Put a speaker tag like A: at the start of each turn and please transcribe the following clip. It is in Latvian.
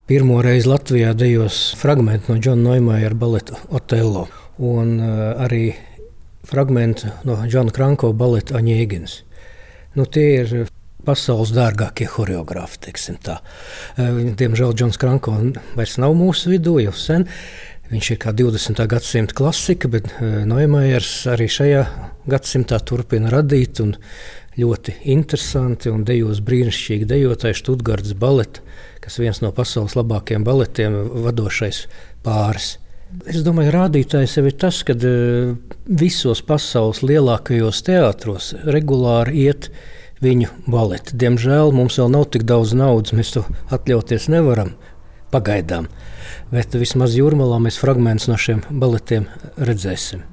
A: pirmo reizi Latvijā dejos fragmenti no Džona Noimajera baleta Otello un arī fragmenti no Džona Kranko baleta Aņēgins. Tie ir pasaules dārgākie horeogrāfi, teiksim tā. Diemžēl Džons Kranko vairs nav mūsu vidū jau sen. Viņš ir kā 20. gadsimta klasika, bet Noimajers arī šajā gadsimtā turpina radīt un ļoti interesanti un dejos brīnišķīgi dejotāji Štutgartas baleta, kas viens no pasaules labākajiem baletiem, vadošais pāris. Es domāju, rādītājs jau ir tas, ka visos pasaules lielākajos teātros regulāri iet viņu baleti. Diemžēl mums vēl nav tik daudz naudas, mēs to atļauties nevaram pagaidām. Bet vismaz Jūrmalā mēs fragmentus no šiem baletiem redzēsim.